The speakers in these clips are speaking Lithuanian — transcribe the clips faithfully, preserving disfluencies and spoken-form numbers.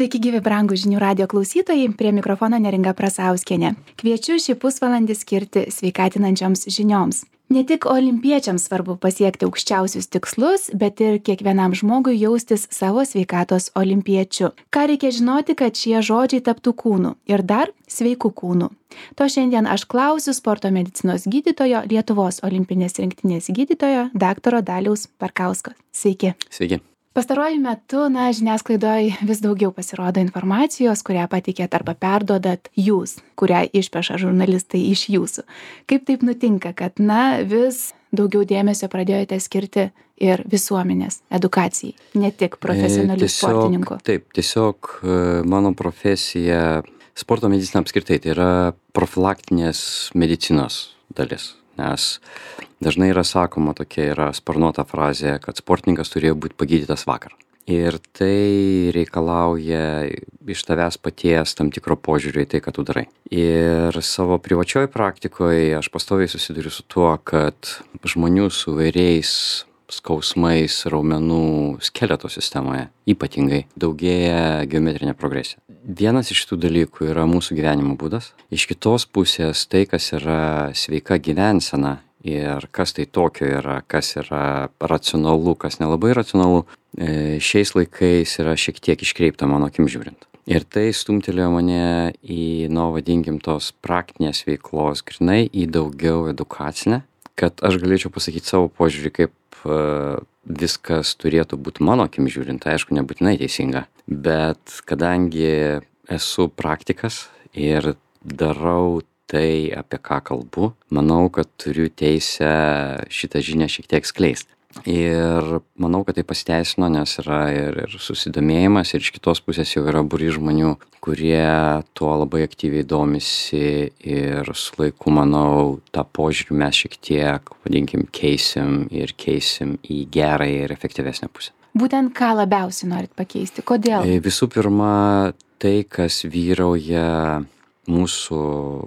Sveiki gyvi brangūs žinių radijo klausytojai, prie mikrofono Neringa Prasauskienė. Kviečiu šį pusvalandį skirti sveikatinančioms žinioms. Ne tik olimpiečiams svarbu pasiekti aukščiausius tikslus, bet ir kiekvienam žmogui jaustis savo sveikatos olimpiečiu. Ką reikia žinoti, kad šie žodžiai taptų kūnu ir dar sveiku kūnu. To šiandien aš klausiu sporto medicinos gydytojo, Lietuvos olimpinės rinktinės gydytojo, daktaro Daliaus Barkausko. Sveiki. Sveiki. Pastaruoju metu, na, žiniasklaidoje vis daugiau pasirodo informacijos, kurią patikėt arba perduodat jūs, kurią išpeša žurnalistai iš jūsų. Kaip taip nutinka, kad, na, vis daugiau dėmesio pradėjote skirti ir visuomenės edukacijai, ne tik profesionalių tiesiog, sportininkų? Taip, tiesiog mano profesija, sporto medicina apskritai, tai yra profilaktinės medicinos dalis. Nes dažnai yra sakoma, tokia yra sparnuota frazė, kad sportininkas turėjo būti pagydytas vakar. Ir tai reikalauja iš tavęs paties tam tikro požiūrio į tai, ką tu darai. Ir savo privačioj praktikoje aš pastoviai susiduriu su tuo, kad žmonių su vairiais skausmais raumenų skeleto sistemoje ypatingai daugėja geometrinė progresija. Vienas iš tų dalykų yra mūsų gyvenimo būdas. Iš kitos pusės tai, kas yra sveika gyvensena ir kas tai tokio yra, kas yra racionalu, kas nelabai racionalu, šiais laikais yra šiek tiek iškreipta mano akim žiūrint. Ir tai stumtelėjo mane į, nu, vadinkim, tos praktinės veiklos grynai į daugiau edukacinę, kad aš galėčiau pasakyti savo požiūrį, kaip viskas turėtų būti mano akim žiūrint, aišku, nebūtinai teisinga, bet kadangi esu praktikas ir darau tai, apie ką kalbu, manau, kad turiu teisę šitą žinią šiek tiek skleisti. Ir manau, kad tai pasiteisino, nes yra ir, ir susidomėjimas, ir iš kitos pusės jau yra būrys žmonių, kurie tuo labai aktyviai domisi, ir su laiku, manau, tą požiūrį mes šiek tiek, vadinkim, keisim ir keisim į gerąją ir efektyvesnę pusę. Būtent ką labiausiai norit pakeisti? Kodėl? Visų pirma, tai, kas vyrauja mūsų,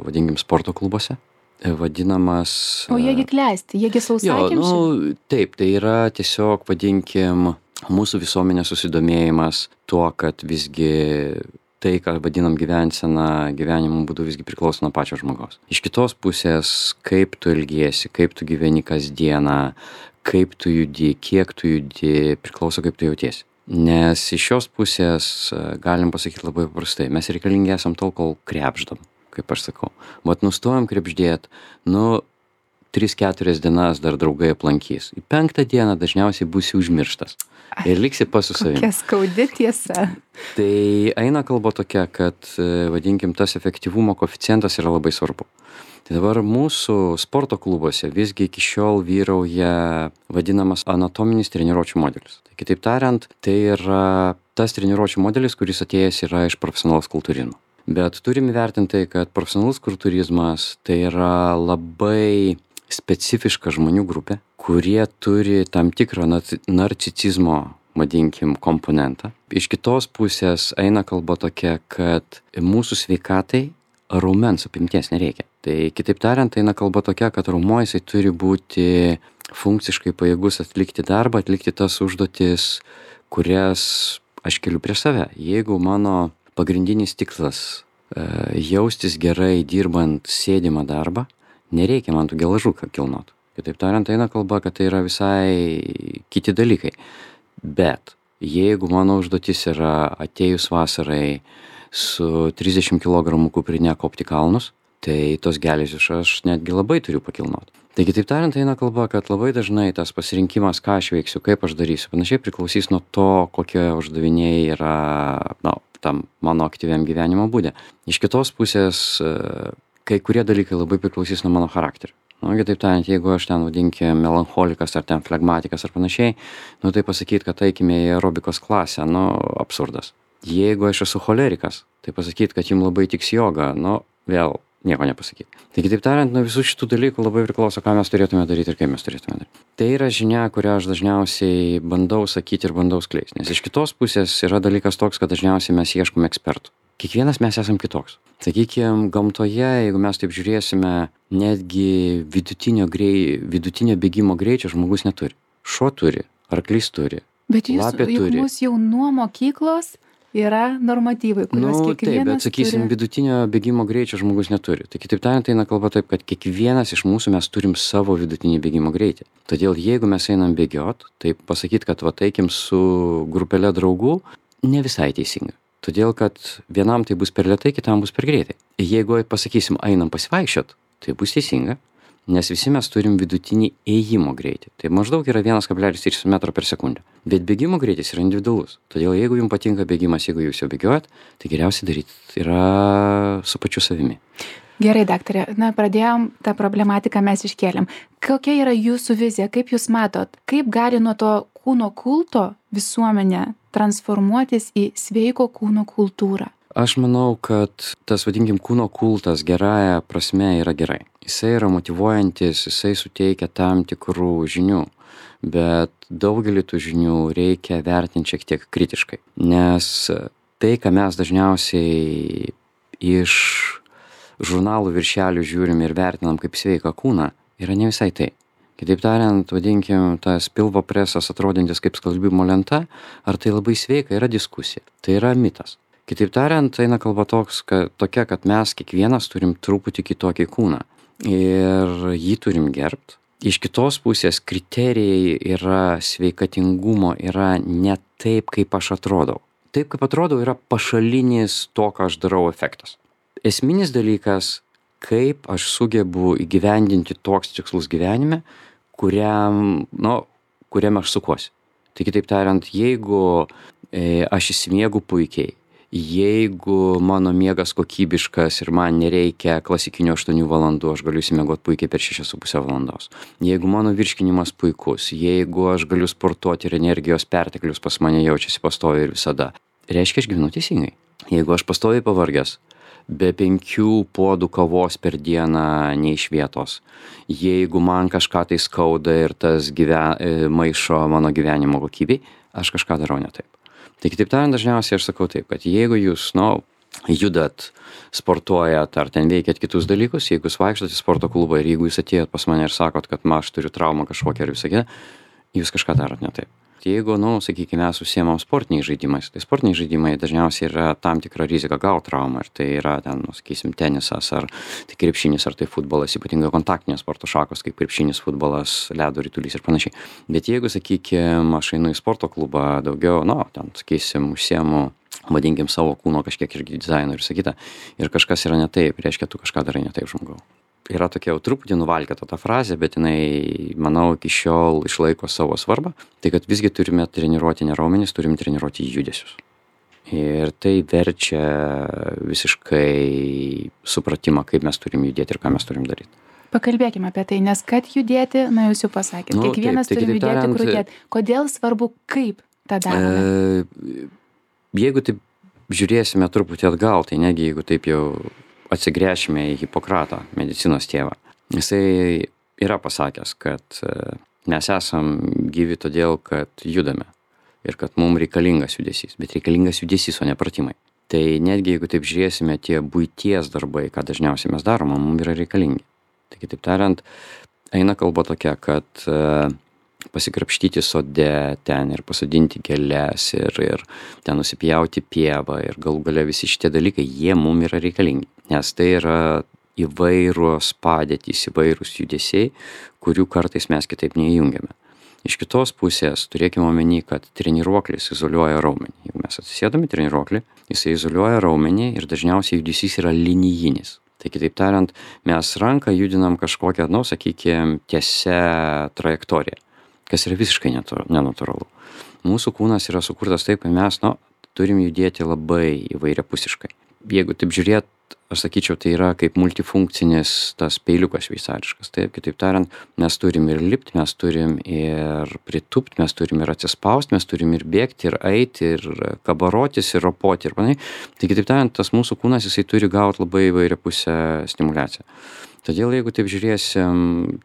vadinkim, sporto klubuose. Vadinamas... O jiegi klesti, jiegi sausakimši? Nu, taip, tai yra tiesiog, vadinkim, mūsų visuomenės susidomėjimas tuo, kad visgi tai, ką vadinam gyvensena, gyvenimo būdu visgi priklauso nuo pačio žmogaus. Iš kitos pusės, kaip tu ilgiesi, kaip tu gyveni kasdieną, kaip tu judi, kiek tu judi, priklauso kaip tu jautiesi. Nes iš šios pusės galim pasakyti labai paprastai, mes reikalingi esam tol, kol krepždam, kaip aš sakau. Vat nustojam krepždėt, nu, tris keturias dienas dar draugai aplankys. Į penktą dieną dažniausiai būsi užmirštas. Ir liksi pas su savimi. Kokia skaudi tiesa. Tai eina kalba tokia, kad, vadinkim, tas efektyvumo koeficientas yra labai svarbu. Tai dabar mūsų sporto klubuose visgi iki šiol vyrauja vadinamas anatominis treniruočių modelis. Tai kitaip tariant, tai yra tas treniruočių modelis, kuris atėjęs yra iš profesionalaus kultūrizmo. Bet turim įvertinti, kad profesionalus kultūrizmas tai yra labai specifiška žmonių grupė, kurie turi tam tikrą narcisizmo, vadinkim, komponentą. Iš kitos pusės eina kalba tokia, kad mūsų sveikatai raumens apimties nereikia. Tai kitaip tariant, eina kalba tokia, kad raumuo jisai turi būti funkciškai pajėgus atlikti darbą, atlikti tas užduotis, kurias aš keliu prieš save. Jeigu mano pagrindinis tikslas e, jaustis gerai dirbant sėdimą darbą, nereikia man tų gelažų kilnot. Kitaip tariant, eina kalba, kad tai yra visai kiti dalykai. Bet jeigu mano užduotis yra atėjus vasarai su trisdešimt kilogramų kuprinė kopti kalnus, tai tos geležius aš netgi labai turiu pakilnot. Tai kitaip tariant, eina kalba, kad labai dažnai tas pasirinkimas, ką aš veiksiu, kaip aš darysiu, panašiai priklausys nuo to, kokie uždaviniai yra, na, tam mano aktyviam gyvenimo būde. Iš kitos pusės, kai kurie dalykai labai priklausys nuo mano charakterio. Nu, kitaip tariant, jeigu aš ten vadinkim melancholikas ar ten flegmatikas ar panašiai, nu tai pasakyti, kad eikime į aerobikos klasę, nu, absurdas. Jeigu aš esu cholerikas, tai pasakyti, kad jums labai tiks joga, nu, vėl nieko nepasakyti. Tai kitaip tariant, nuo visų šitų dalykų labai priklauso, ką mes turėtume daryti ir kaip mes turėtume daryti. Tai yra žinia, kurią aš dažniausiai bandau sakyti ir bandau skleisti. Nes iš kitos pusės yra dalykas toks, kad dažniausiai mes ieškome ekspertų. Kiekvienas mes esam kitoks. Sakykime, gamtoje, jeigu mes taip žiūrėsime, netgi vidutinio, grei, vidutinio bėgimo greičio žmogus neturi. Šuo turi, arklys turi, Bet jūs lapė juk turi. mus jau nuo mokyklos yra normatyvai, kuriuos Nu, taip, kiekvienas bet sakysim, turi. vidutinio bėgimo greičio žmogus neturi. Tai kitaip tariant, eina kalba taip, kad kiekvienas iš mūsų mes turim savo vidutinį bėgimo greitį. Todėl jeigu mes einam bėgiot, tai pasakyt, kad va eikim su grupelė draugų, ne visai teisinga. Todėl, kad vienam tai bus per lėtai, kitam bus per greitai. Jeigu pasakysim, einam pasivaikščiot, tai bus teisinga, nes visi mes turim vidutinį ėjimo greitį. Tai maždaug yra vienas kablelis trys metro per sekundę. Bet bėgimo greitis yra individualus. Todėl jeigu jums patinka bėgimas, jeigu jūs jau bėgiojat, tai geriausiai daryti yra su pačiu savimi. Gerai, daktarė, na, pradėjom tą problematiką mes iškėlėm. Kokia yra jūsų vizija, kaip jūs matot, kaip gali nuo to kūno kulto visuomenė transformuotis į sveiko kūno kultūrą? Aš manau, kad tas, vadinkim, kūno kultas gerąja prasme yra gerai. Jisai yra motyvuojantis, jisai suteikia tam tikrų žinių, bet daugelį tų žinių reikia vertinti šiek tiek kritiškai. Nes tai, ką mes dažniausiai iš žurnalų viršelių žiūrim ir vertinam kaip sveiką kūną, yra ne visai tai. Kitaip tariant, vadinkim, tas pilvo presas atrodantis kaip skalbimo lenta, ar tai labai sveika, yra diskusija. Tai yra mitas. Kitaip tariant, eina kalba toks, kad, tokia, kad mes kiekvienas turim truputį kitokį kūną ir jį turim gerbt. Iš kitos pusės kriterijai yra sveikatingumo, yra ne taip, kaip aš atrodau. Taip, kaip atrodau, yra pašalinis to, ką aš darau efektas. Esminis dalykas, kaip aš sugebu įgyvendinti toks tikslus gyvenime, kuriam, nu, kuriam aš sukuosi. Tai kitaip tariant, jeigu e, aš įsimiegu puikiai, jeigu mano miegas kokybiškas ir man nereikia klasikinių aštuonių valandų, aš galiu įsimiegot puikiai per šešias su pusę valandos. Jeigu mano virškinimas puikus, jeigu aš galiu sportuoti ir energijos perteklius pas mane jaučiasi pastoviai ir visada, reiškia, aš gyvenu teisingai. Jeigu aš pastoviai pavargęs, be penkių puodų kavos per dieną ne iš vietos, jeigu man kažką tai skauda ir tas gyven, maišo mano gyvenimo kokybei, aš kažką darau ne taip. Tai kitaip tariant, dažniausiai aš sakau taip, kad jeigu jūs, nu, judat, sportuojat ar ten veikiat kitus dalykus, jeigu jūs vaikštot į sporto klubą ir jeigu jūs atėjot pas mane ir sakot, kad ma, aš turiu traumą kažkokią ir visą kitą, jūs kažką darot ne taip. Jeigu, nu, sakykime, mes užsiemam sportiniais žaidimais, tai sportiniai žaidimai dažniausiai yra tam tikra rizika gauti traumą, ir tai yra ten, nu, sakysim, tenisas, ar tai krepšinis, ar tai futbolas, ypatingai kontaktinės sporto šakos, kaip krepšinis, futbolas, ledo ritulys ir panašiai. Bet jeigu, sakykime, aš einu į sporto klubą daugiau, nu, ten, sakysim, užsiemu, vadinkim, savo kūno kažkiek irgi dizaino ir sakyta, ir kažkas yra ne taip, reiškia, tu kažką darai ne taip, žmogau. Yra tokia jau truputį nuvalkėta ta frazė, bet jinai, manau, iki šiol išlaiko savo svarbą. Tai kad visgi turime treniruoti ne raumenis, turime treniruoti judesius. Ir tai verčia visiškai supratimą, kaip mes turim judėti ir ką mes turim daryti. Pakalbėkime apie tai, nes kad judėti, na jūs jau pasakėte, Nu, kiekvienas taip, tai turi kitaip judėti, tariant, kur judėti. Kodėl svarbu, kaip tą darome? E, jeigu taip žiūrėsime truputį atgal, tai negi jeigu taip jau atsigręšime į Hipokratą, medicinos tėvą. Jisai yra pasakęs, kad e, mes esam gyvi todėl, kad judame ir kad mums reikalingas judesys, bet reikalingas judesys, o ne pratimai. Tai netgi jeigu taip žiūrėsime, tie buities darbai, ką dažniausiai mes darome, mums yra reikalingi. Tai kitaip tariant, eina kalba tokia, kad e, pasikrapštyti sode ten ir pasodinti gėles ir, ir ten nusipjauti pievą ir galų gale visi šitie dalykai, jie mums yra reikalingi. Nes tai yra įvairios padėtys, įvairūs judesiai, kurių kartais mes kitaip neįjungiame. Iš kitos pusės turėkime omeny, kad treniruoklis izoliuoja raumenį. Jeigu mes atsisėdame treniruoklį, jisai izoliuoja raumenį ir dažniausiai judesys yra linijinis. Tai kitaip tariant, mes ranką judinam kažkokią, nu, sakykime, tiesia trajektoriją, kas yra visiškai nenatūralu. Mūsų kūnas yra sukurtas taip, kad mes, nu, turim judėti labai įvairiapusiškai. Jeigu taip žiūrėt, aš sakyčiau, tai yra kaip multifunkcinis tas peiliukas šveicariškas. Taip, kitaip tariant, mes turim ir lipti, mes turim ir pritūpti, mes turim ir atsispausti, mes turim ir bėgti, ir eiti, ir kabarotis, ir ropoti, ir panašiai. Tai kitaip tariant, tas mūsų kūnas, jisai turi gauti labai įvairiapusę stimuliaciją. Todėl, jeigu taip žiūrėsim,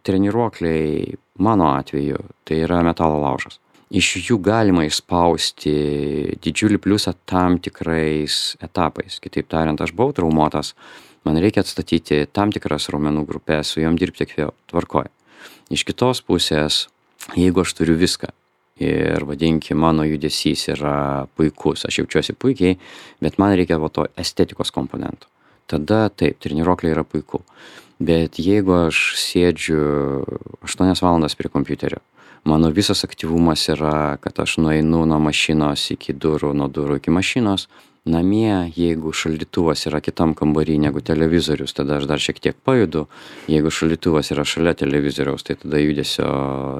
treniruokliai, mano atveju, tai yra metalo laužas. Iš jų galima išspausti didžiulį pliusą tam tikrais etapais. Kitaip tariant, aš buvau traumuotas, man reikia atstatyti tam tikras raumenų grupės, su jom dirbti kiek vėl tvarkoj. Iš kitos pusės, jeigu aš turiu viską ir vadinkim, mano judesys yra puikus, aš jaučiuosi puikiai, bet man reikia va to estetikos komponento. Tada taip, treniruokliai yra puiku. Bet jeigu aš sėdžiu aštuonias valandas prie kompiuterio, mano visas aktyvumas yra, kad aš nueinu nuo mašinos iki durų, nuo durų iki mašinos, namie, jeigu šaldytuvas yra kitam kambarį negu televizorius, tada aš dar šiek tiek pajudu. Jeigu šaldytuvas yra šalia televizoriaus, tai tada judesio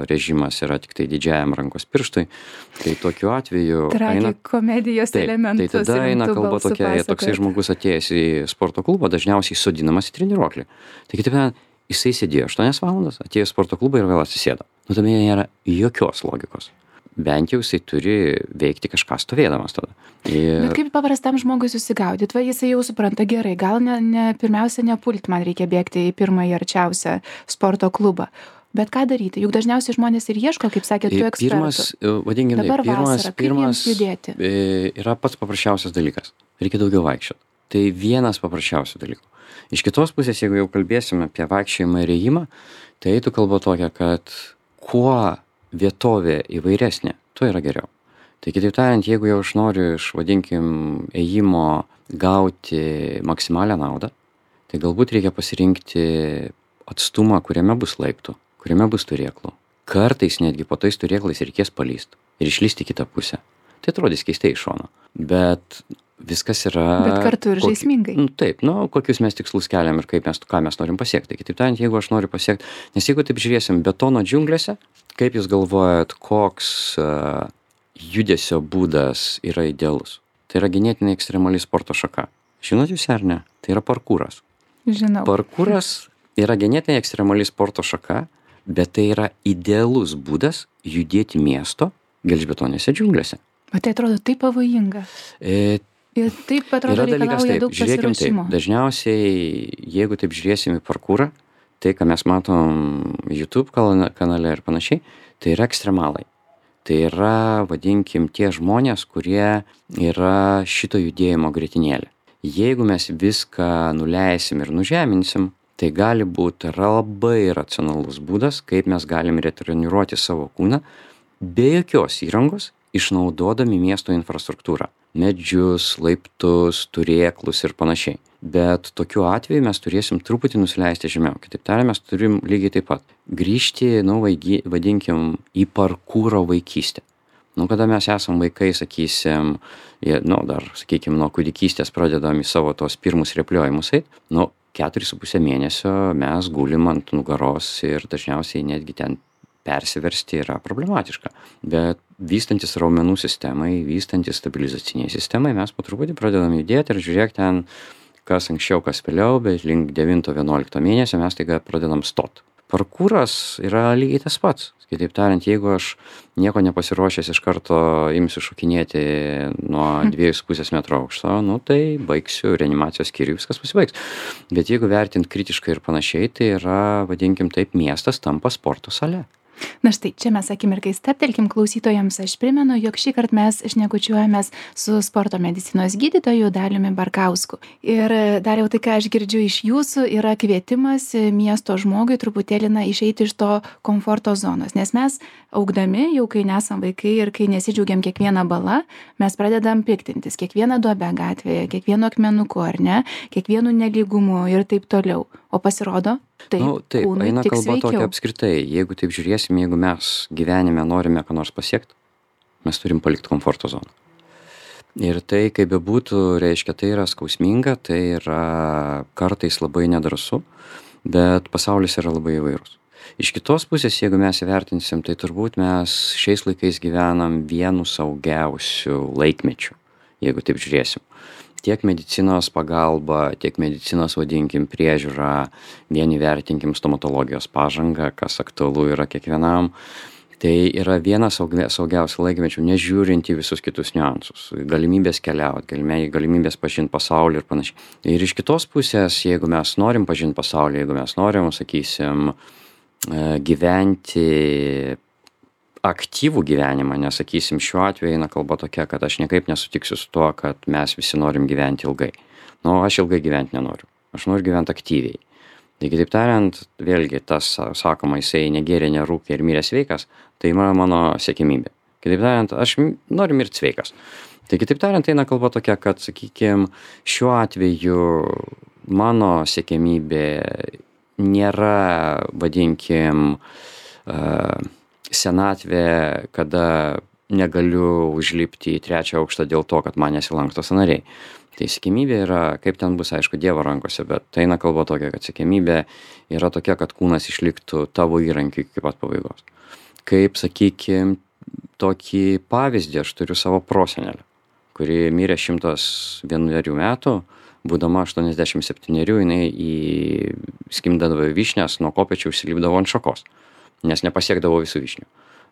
režimas yra tik tai didžiajam rankos pirštui. Tai tokiu atveju... Tragikomedijos elementus. Tai tada eina kalba tokia, toksai žmogus atėjęs į sporto klubą, dažniausiai sodinamas į treniruoklį. Tai kitaip tariant, jisai sėdėjo aštuonias valandas, atėjo į sporto klubą ir vėl atsisėdo. Nu, tame nėra jokios logikos. Bent jau jisai turi veikti kažką stovėdamas tada. Ir... Bet kaip paprastam žmogui susigaudyt, va jisai jau supranta gerai, gal ne, ne, pirmiausia nepult, man reikia bėgti į pirmąjį arčiausią sporto klubą. Bet ką daryti? Juk dažniausiai žmonės ir ieško, kaip sakė, tų ekspertų. Pirmas, vadinkime, dabar pirmas, vasara, kaip pirmas jiems judėti? Yra pats paprasčiausias dalykas. Reikia daugiau vaikščioti. Tai vienas paprasčiausių dalykų. Iš kitos pusės, jeigu jau kalbėsime apie vaikščiojimą ir ėjimą, tai eitų kalba tokia, kad kuo vietovė įvairesnė, tuo yra geriau. Tai kitaip tariant, jeigu jau aš noriu iš, vadinkim, ėjimo gauti maksimalią naudą, tai galbūt reikia pasirinkti atstumą, kuriame bus laiptų, kuriame bus turėklų. Kartais netgi po tais turėklais reikės palyst ir išlysti kitą pusę. Tai atrodys keistai iš šono. Bet viskas yra... Bet kartu ir žaismingai. Nu, taip, nu, kokius mes tikslus keliam ir kaip mes, ką mes norim pasiekti. Kitaip tariant, jeigu aš noriu pasiekti, nes jeigu taip žiūrėsim betono džiunglėse, kaip jūs galvojat, koks uh, judesio būdas yra idealus? Tai yra ganėtinai ekstremali sporto šaka. Žinot jūs ar ne? Tai yra parkūras. Žinau. Parkūras yra ganėtinai ekstremali sporto šaka, bet tai yra idealus būdas judėti miesto gelžbetonėse džiunglėse. Bet tai atrodo taip pavojinga. E, Ir taip atrodo reikalauja daug pasiruošimo. Taip, dažniausiai, jeigu taip žiūrėsim į parkūrą, tai, ką mes matom YouTube kanale ir panašiai, tai yra ekstremalai. Tai yra, vadinkim, tie žmonės, kurie yra šito judėjimo grietinėlė. Jeigu mes viską nuleisim ir nužeminsim, tai gali būti labai racionalus būdas, kaip mes galim retreniruoti savo kūną be jokios įrangos, išnaudodami miesto infrastruktūrą. Medžius, laiptus, turėklus ir panašiai. Bet tokiu atveju mes turėsim truputį nusileisti žemiau. Kitaip tariant, mes turim lygiai taip pat grįžti, nu, vaigi, vadinkim, į parkūro vaikystę. Nu, kada mes esam vaikai, sakysim, nu, dar, sakykim, nuo kūdikystės pradedam į savo tos pirmus repliojimus eit, nu, keturis su pusę mėnesio mes gulim ant nugaros ir dažniausiai netgi ten persiversti yra problematiška. Bet vystantis raumenų sistemai, vystantis stabilizaciniai sistemai, mes po truputį pradedam judėti ir žiūrėk ten, kas anksčiau, kas vėliau, bet link devinto vienuolikto mėnesio mes taiga pradedam stot. Parkūras yra lygiai tas pats. Kitaip tariant, jeigu aš nieko nepasiruošęs iš karto imsiu šokinėti nuo dviejų su pusės metro aukšto, nu tai baigsiu reanimacijos skyrių, viskas pasibaigs. Bet jeigu vertint kritiškai ir panašiai, tai yra, vadinkim taip, miestas tampa sporto sale. Na štai, čia mes akimirkai stabtelkim klausytojams. Aš primenu, jog šį kartą mes šnekučiuojamės su sporto medicinos gydytoju Daliumi Barkausku. Ir dar jau tai, ką aš girdžiu iš jūsų, yra kvietimas miesto žmogui truputėlį na, išeiti iš to komforto zonos. Nes mes augdami, jau kai nesam vaikai ir kai nesidžiaugiam kiekvieną balą, mes pradedam piktintis kiekvieną duobę gatvėje, kiekvienu akmenuku, ar ne, kiekvienu nelygumu ir taip toliau. O pasirodo, taip, nu, taip eina kalba tokia apskritai. Jeigu taip žiūrėsim, jeigu mes gyvenime norime ką nors pasiekti, mes turim palikti komforto zoną. Ir tai, kaip bebūtų, reiškia, tai yra skausminga, tai yra kartais labai nedrąsu, bet pasaulis yra labai įvairus. Iš kitos pusės, jeigu mes įvertinsim, tai turbūt mes šiais laikais gyvenam vienu saugiausių laikmečių, jeigu taip žiūrėsim. Tiek medicinos pagalba, tiek medicinos, vadinkim, priežiūra, vieni vertinkim stomatologijos pažangą, kas aktualu yra kiekvienam. Tai yra vienas saugiausių laikmečių, nežiūrint į visus kitus niuansus. Galimybės keliauti, galimybės pažinti pasaulį ir panašiai. Ir iš kitos pusės, jeigu mes norim pažinti pasaulį, jeigu mes norim, sakysim, gyventi aktyvų gyvenimą, nes, sakysim, šiuo atveju eina kalba tokia, kad aš niekaip nesutiksiu su tuo, kad mes visi norim gyventi ilgai. Nu, aš ilgai gyventi nenoriu. Aš noriu gyventi aktyviai. Taigi, taip tariant, vėlgi tas, sakoma, jisai negėrė, nerūkė ir mirė sveikas, tai yra mano siekimybė. Kitaip tariant, aš m- noriu mirti sveikas. Tai kitaip tariant, eina kalba tokia, kad, sakykime, šiuo atveju mano siekiamybė nėra, vadinkim, uh, senatvė, kada negaliu užlipti į trečią aukštą dėl to, kad man nesilanksto sąnariai. Tai siekiamybė yra, kaip ten bus, aišku, Dievo rankose, bet tai eina kalba tokia, kad siekiamybė yra tokia, kad kūnas išliktų tavo įrankiu iki pat pabaigos. Kaip, sakykime, tokį pavyzdį aš turiu savo prosenelę, kuri mirė šimtas vienerių metų, būdama aštuoniasdešimt septynerių, jinai į skimdavo vyšnias, nuo kopėčių užsilipdavo ant šakos, nes nepasiekdavo visų vyšnių.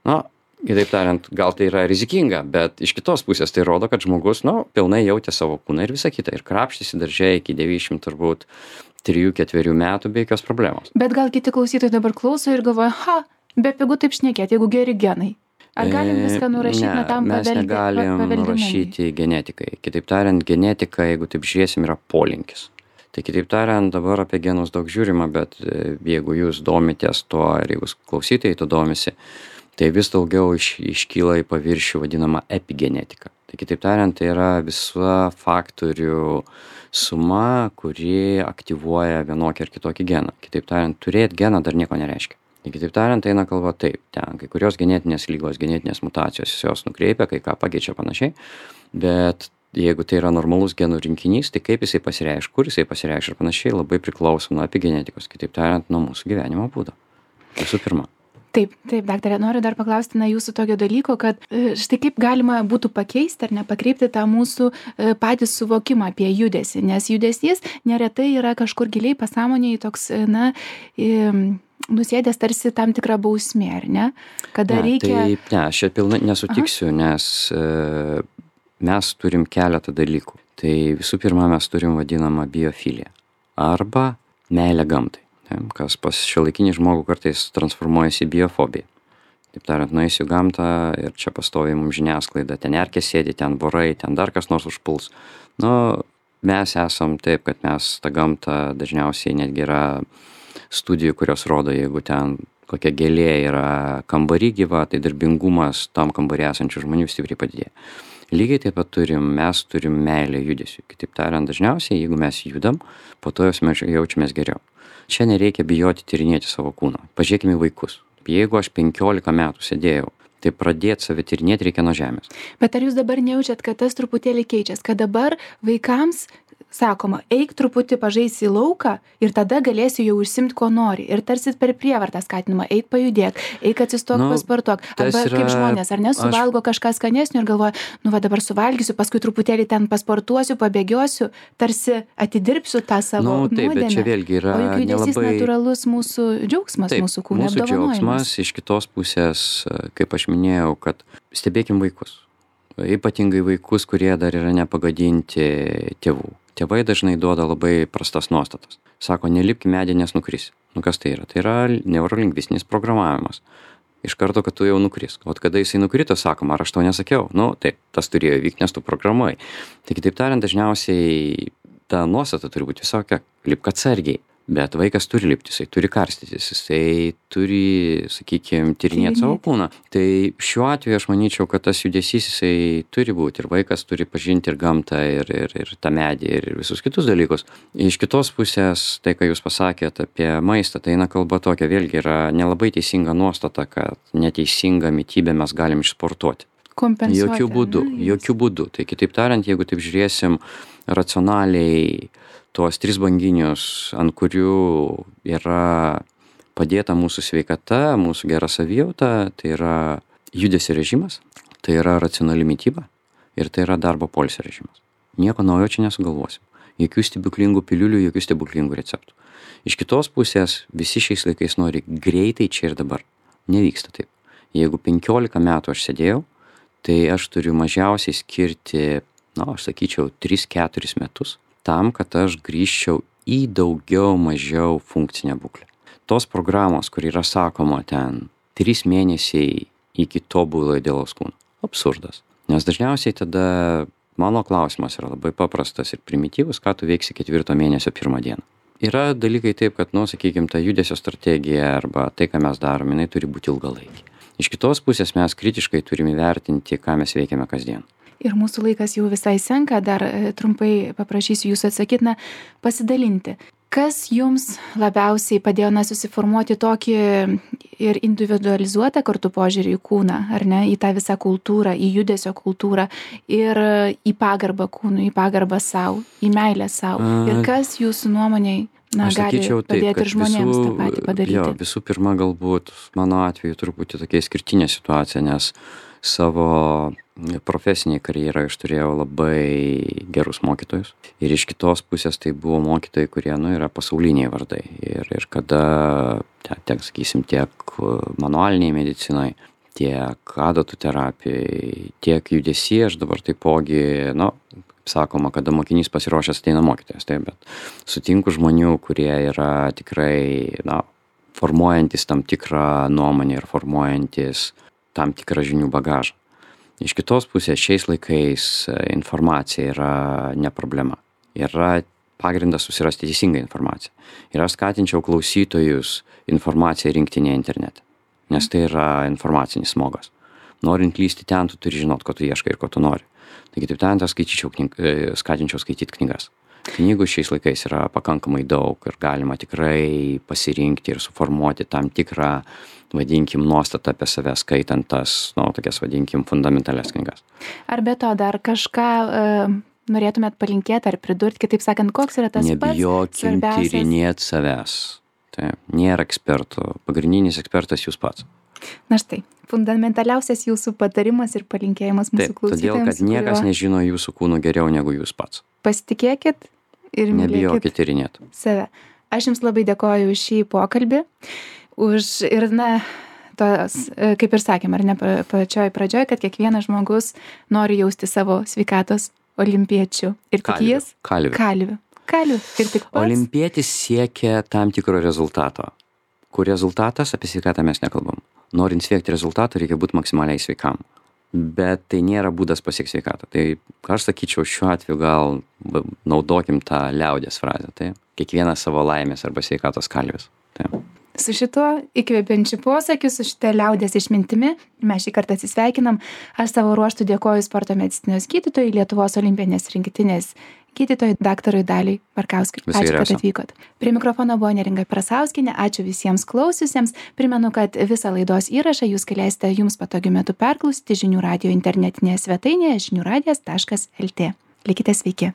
Na, kitaip tariant, gal tai yra rizikinga, bet iš kitos pusės tai rodo, kad žmogus, nu, pilnai jautė savo kūną ir visą kitą. Ir krapštėsi darže iki devyniasdešimt turbūt trijų ketverių metų be jokios problemos. Bet gal kiti klausytojai dabar klauso ir galvoja, ha, be pigu taip šnekėti, jeigu geri genai. Ar galim viską nurašyti, na, tam mes paveldi- negalim paveldinumui? nurašyti genetikai. Kitaip tariant, genetika, jeigu taip žiūrėsim, yra polinkis. Tai kitaip tariant, dabar apie genus daug žiūrima, bet e, jeigu jūs domitės tuo ir jeigu klausytojai to domisi, tai vis daugiau iš, iškyla į paviršių vadinama epigenetika. Tai kitaip tariant, tai yra visa faktorių suma, kuri aktyvuoja vienokį ar kitokį geną. Kitaip tariant, turėti geną dar nieko nereiškia. Tai kitaip tariant, eina kalba taip, ten kai kurios genetinės lygos, genetinės mutacijos, jos nukreipia, kai ką pakeičia panašiai, bet jeigu tai yra normalus genų rinkinys, tai kaip jisai pasireiškia, kur jisai pasireiškia ir panašiai, labai priklauso nuo epigenetikos, kitaip tariant, nuo mūsų gyvenimo būdo. Visų pirma. Taip, taip, daktarė, noriu dar paklausti, na, jūsų tokio dalyko, kad e, štai kaip galima būtų pakeisti ar nepakreipti tą mūsų e, patį suvokimą apie judesį, nes judesys neretai yra kažkur giliai pasąmonėje toks, e, na, e, nusėdęs tarsi tam tikra bausmė, ar ne? Kada Ne, reikia... taip, ne, aš čia pilnai nesutiksiu, nes e, mes turim keletą dalykų. Tai visų pirma, mes turim vadinamą biofiliją arba meilę gamtai. Taip, kas pas šiuolaikinį žmogų kartais transformuojasi į biofobiją. Taip tariant, nueisiu į gamtą ir čia pastoviai mums žiniasklaida, ten erkės sėdi, ten vorai, ten dar kas nors užpuls. Nu, mes esam taip, kad mes tą gamtą dažniausiai netgi yra studijų, kurios rodo, jeigu ten kokia gėlė yra kambarį gyva, tai darbingumas tam kambarį esančių žmonių stipriai padidėja. Lygiai taip pat turim, mes turim meilę judesiui. Kitaip tariant, dažniausiai, jeigu mes judam, po to jaučiamės geriau. Čia nereikia bijoti tyrinėti savo kūno. Pažiūrėkime į vaikus. Jeigu aš penkiolika metų sėdėjau, tai pradėti save tyrinėti reikia nuo žemės. Bet ar jūs dabar nejaučiat, kad tas truputėlį keičias, kad dabar vaikams sakoma, eik truputį pažaisi į lauką ir tada galėsi jau užsimti, ko nori. Ir tarsi per prievartą skatinama, eik pajudėk, eik atsistok, Nu, pasportuok. Arba yra- kaip žmonės, ar ne, aš- suvalgo kažką skanesnio ir galvoja, nu va dabar suvalgysiu, paskui truputėlį ten pasportuosiu, pabėgiosiu, tarsi atidirbsiu tą savo Nu, taip, bet nuodėmę. čia vėlgi yra O juk judesys nelabai- natūralus mūsų džiaugsmas, Taip, mūsų kūno mūsų apdovanojimas. džiaugsmas, iš kitos pusės, kaip aš minėjau, kad stebėkim vaikus. Ypatingai vaikus, kurie dar yra nepagadinti tėvų. Tėvai dažnai duoda labai prastas nuostatas. Sako, nelipk į medį, nes nukris. Nu kas tai yra? Tai yra neurolingvistinis programavimas. Iš karto, kad tu jau nukris. O kada jisai nukrito, sakoma, ar aš to nesakiau? Nu, taip, tas turėjo įvykti, nes tu programuoji. Tai kitaip tariant, dažniausiai ta nuostata turi būti visokia, lipk atsargiai. Bet vaikas turi lipti, jisai turi karstytis, jisai turi, sakykime, tyrinėti savo Tyrinėti. kūną. Tai šiuo atveju aš manyčiau, kad tas judesys jisai turi būti ir vaikas turi pažinti ir gamtą, ir, ir, ir tą medį, ir visus kitus dalykus. Iš kitos pusės, tai, ką jūs pasakėt apie maistą, tai eina kalba tokia, vėlgi yra nelabai teisinga nuostata, kad neteisingą mitybę mes galim išsportuoti. Kompensuoti. Jokių būdų, ar ne? jokių būdų. Tai kitaip tariant, jeigu taip žiūrėsim racionaliai tuos tris banginius, ant kurių yra padėta mūsų sveikata, mūsų gera savijauta, tai yra judesio režimas, tai yra racionali mityba ir tai yra darbo poilsio režimas. Nieko naujo čia nesugalvosim. Jokių stebuklingų piliulių, jokių stebuklingų receptų. Iš kitos pusės visi šiais laikais nori greitai čia ir dabar. Nevyksta taip. Jeigu penkiolika metų aš sėdėjau, tai aš turiu mažiausiai skirti, na, aš sakyčiau, tris keturis metus tam, kad aš grįžčiau į daugiau mažiau funkcinę būklę. Tos programos, kur yra sakoma ten trys mėnesiai iki tobulo idealaus kūno. Absurdas. Nes dažniausiai tada mano klausimas yra labai paprastas ir primityvus, ką tu veiksi ketvirto mėnesio pirmą dieną. Yra dalykai taip, kad, nu, sakykime, ta judesio strategija arba tai, ką mes darome, jinai turi būti ilgalaikė. Iš kitos pusės mes kritiškai turime įvertinti, ką mes veikiame kasdien. Ir mūsų laikas jau visai senka, dar trumpai paprašysiu jūsų atsakyti, na, pasidalinti. Kas jums labiausiai padėjo, na, susiformuoti tokį ir individualizuotą kartu požiūrį į kūną, ar ne, į tą visą kultūrą, į judesio kultūrą ir į pagarbą kūnui, į pagarbą savo, į meilę savo. Ir kas jūsų nuomonėj, na, Aš gali sakyčiau taip, padėti ir kad žmonėms visų, tą patį padaryti? Jo, visų pirma, galbūt mano atveju truputį tokia išskirtinė situacija, nes savo profesinėje karjeroje aš turėjau labai gerus mokytojus. Ir iš kitos pusės tai buvo mokytojai, kurie, nu, yra pasauliniai vardai. Ir, ir kada, tiek, sakysim, tiek manualiniai medicinai, tiek adatų terapijai, tiek judesy, aš dabar taipogi, nu, sakoma, kada mokinys pasiruošęs ateina mokytojas, taip, bet sutinku žmonių, kurie yra tikrai, na, formuojantis tam tikrą nuomonę ir formuojantis tam tikrą žinių bagažą. Iš kitos pusės šiais laikais informacija yra ne problema. Yra pagrindas susirasti teisingą informaciją. Ir aš skatinčiau klausytojus informaciją rinkti ne internete, nes tai yra informacinis smogas. Norint lysti ten, tu turi žinot, ko tu ieškai ir ko tu nori. Taigi taip ten, aš knyg... skatinčiau skaityti knygas. Knygų šiais laikais yra pakankamai daug ir galima tikrai pasirinkti ir suformuoti tam tikrą, vadinkim, nuostatą apie save, skaitant tas, nu, tokias, vadinkim, fundamentalias knygas. Ar be to dar kažką uh, norėtumėt palinkėti ar pridurti, kitaip sakant, koks yra tas pats Nebijokim svarbiausias? tyrinėti savęs. Tai nėra ekspertų. Pagrindinis ekspertas jūs pats. Na štai, fundamentaliausias jūsų patarimas ir palinkėjimas mūsų Taip, klausytojams. todėl, kad niekas kurio... nežino jūsų kūnų geriau negu jūs pats. Pasitikėkit ir Nebijokit tyrinėti save. Aš jums labai dėkoju už šį pokalbį, už ir, na, tos, kaip ir sakėm, ar ne pačioj pradžioj, kad kiekvienas žmogus nori jausti savo sveikatos olimpiečių. Ir tik Kalvių. jis Kalvių. kalvių. Kalvių. Ir tik pats. Olimpietis siekia tam tikro rezultato. Kur rezultatas, apie sveikatą mes nekalbam. Norint siekti rezultato, reikia būti maksimaliai sveikam. Bet tai nėra būdas pasiekti sveikatą. Tai aš sakyčiau, šiuo atveju gal naudokim tą liaudies frazę. Tai kiekvienas savo laimės arba sveikatos kalvis. Tai. Su šituo įkvepiančiu posakiu, su šitą liaudies išmintimi mes šį kartą atsisveikinam. Aš savo ruoštų dėkoju sporto medicinos gydytojui, Lietuvos olimpinės rinktinės gydytojui daktarui Daliui Barkauskui. Visai Ačiū, kad geriausio. atvykot. Prie mikrofono buvo Neringa Prasauskienė. Ačiū visiems klausiusiems. Primenu, kad visą laidos įrašą jūs galėsite jums patogiu metu perklausyti žinių radijo internetinėje svetainėje žinių radijas taškas lt. Likite sveiki.